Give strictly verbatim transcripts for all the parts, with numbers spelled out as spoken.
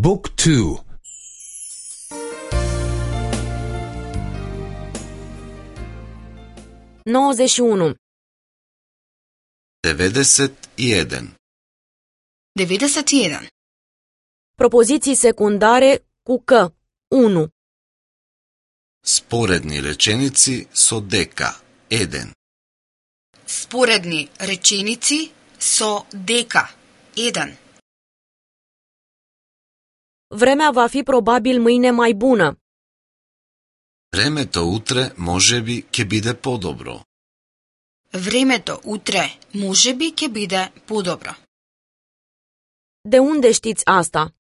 Book two. nouăzeci și unu. devedeset i jedan. devedeset i jedan. Propoziții secundare cu că. unu. Sporedni rečenici so deka. Еден. Sporedni rečenici so дека. Еден. Vremea va fi probabil mâine mai bună. Времето утре можеби ќе биде подобро. Времето утре можеби ќе биде подобро. De unde știți asta?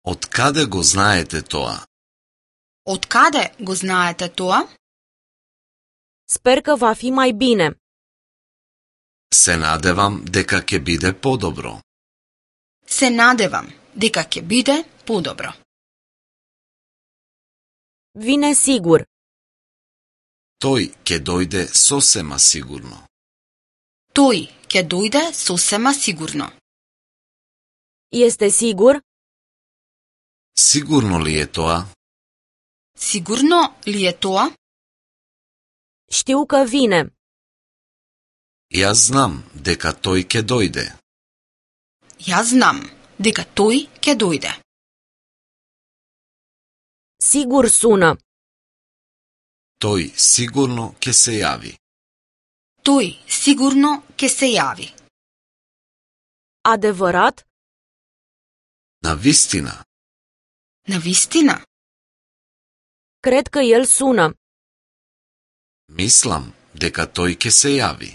Од каде го знаете тоа? Од каде го знаете тоа? Sper că va fi mai bine. Се надевам дека ќе биде подобро. Се надевам дека ќе биде подобро. Vine sigur. Тој ќе дојде сосема сигурно. Тој ќе дојде сосема сигурно. Este sigur? Сигурно ли е тоа? Сигурно ли е тоа? Știu că vine. Јас знам дека тој ќе дојде. Јас знам дека тој ќе дојде. Sigur sună. Тој сигурно ќе се јави. Тој сигурно ќе се јави. Adevărat? Навистина. Навистина? Cred că el sună. Мислам дека тој ќе се јави.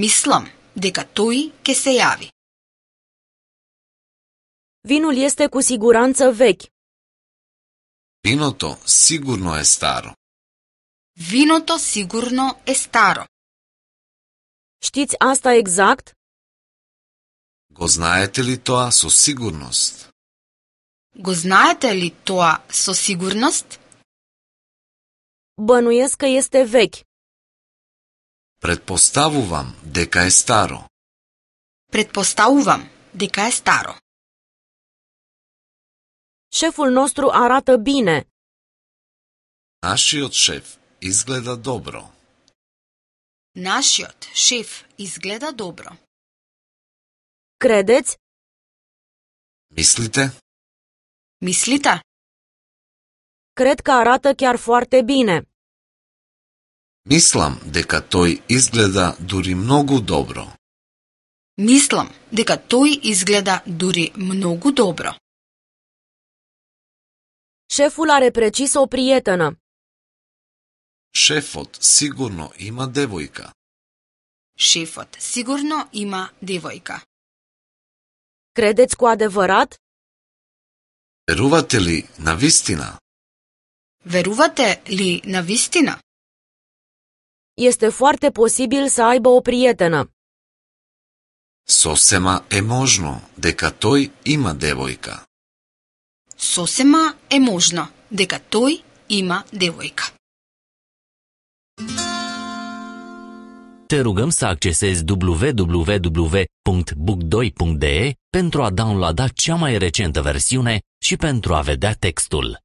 Мислам дека тој ќе се јави. Vinul este cu siguranță vechi. Виното сигурно е старо. Виното сигурно е старо. Știți asta exact? Го знаете ли тоа со сигурност? Го знаете ли тоа со сигурност? Bănuiesc că este vechi. Предпоставувам дека е старо. Предпоставувам дека е старо. Șeful nostru arată bine. Нашиот шеф изгледа добро. Нашиот шеф изгледа добро. Credeți? Мислите? Мислите? Cred că arată chiar foarte bine. Мислам дека тој изгледа дури многу добро. Мислам дека тој изгледа дури многу добро. Șeful are precis o prietenă. Шефот сигурно има девојка. Шефот сигурно има девојка. Credeți cu adevărat? Верувате ли навистина? Верувате ли навистина? Este foarte posibil să aibă o prietenă. Сосема е можно дека тој има девојка. Сосема е можно дека тој има девојка. Te rugăm să accesezi w w w punct book doi punct d e pentru a downloada cea mai recentă versiune și pentru a vedea textul.